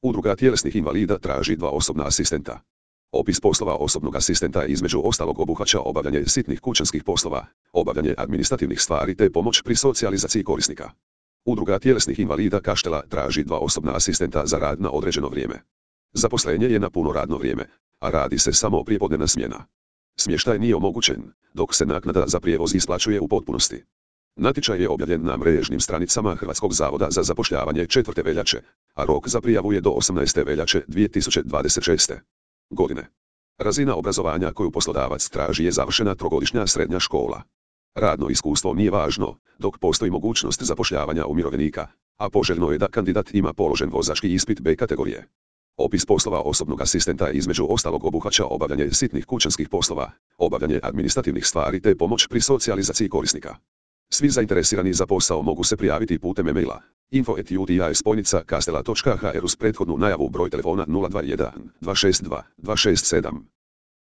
Udruga tjelesnih invalida traži 2 osobna asistenta. Opis poslova osobnog asistenta između ostalog obuhvaća obavljanje sitnih kućanskih poslova, obavljanje administrativnih stvari te pomoć pri socijalizaciji korisnika. Udruga tjelesnih invalida Kaštela traži 2 osobna asistenta za rad na određeno vrijeme. Zaposlenje je na puno radno vrijeme, a radi se samo prijepodnevna smjena. Smještaj nije omogućen, dok se naknada za prijevoz isplaćuje u potpunosti. Natječaj je objavljen na mrežnim stranicama Hrvatskog zavoda za zapošljavanje 4. veljače, a rok za prijavu je do 18. veljače 2026. godine. Razina obrazovanja koju poslodavac traži je završena 3-godišnja srednja škola. Radno iskustvo nije važno, dok postoji mogućnost zapošljavanja umirovljenika, a poželjno je da kandidat ima položen vozački ispit B kategorije. Opis poslova osobnog asistenta između ostalog obuhvaća obavljanje sitnih kućanskih poslova, obavljanje administrativnih stvari te pomoć pri socijalizaciji korisnika. Svi zainteresirani za posao mogu se prijaviti putem e-maila info@uti-kastela.hr uz prethodnu najavu. Broj telefona 021 262 267